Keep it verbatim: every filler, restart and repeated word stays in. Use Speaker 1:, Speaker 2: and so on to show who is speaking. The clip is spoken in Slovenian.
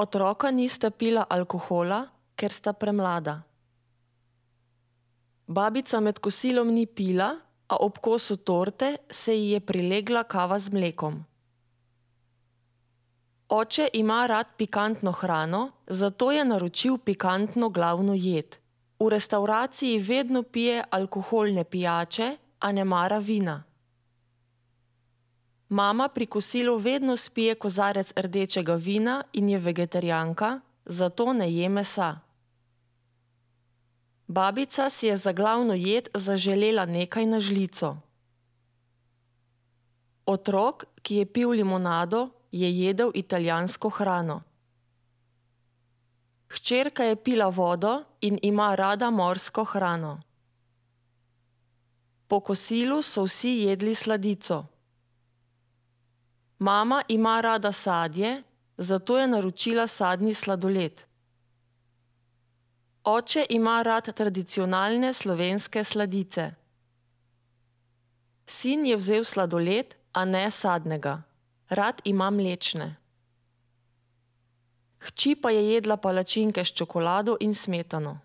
Speaker 1: Otroka nista pila alkohola, ker sta premlada. Babica med kosilom ni pila, a ob kosu torte se ji je prilegla kava z mlekom. Oče ima rad pikantno hrano, zato je naročil pikantno glavno jed. V restavraciji vedno pije alkoholne pijače, a ne mara vina. Mama pri kosilu vedno spije kozarec rdečega vina in je vegetarijanka, zato ne je mesa. Babica si je za glavno jed zaželela nekaj na žlico. Otrok, ki je pil limonado, je jedel italijansko hrano. Hčerka je pila vodo in ima rada morsko hrano. Po kosilu so vsi jedli sladico. Mama ima rada sadje, zato je naročila sadni sladoled. Oče ima rad tradicionalne slovenske sladice. Sin je vzel sladoled, a ne sadnega. Rad ima mlečne. Hči pa je jedla palačinke s čokolado in smetano.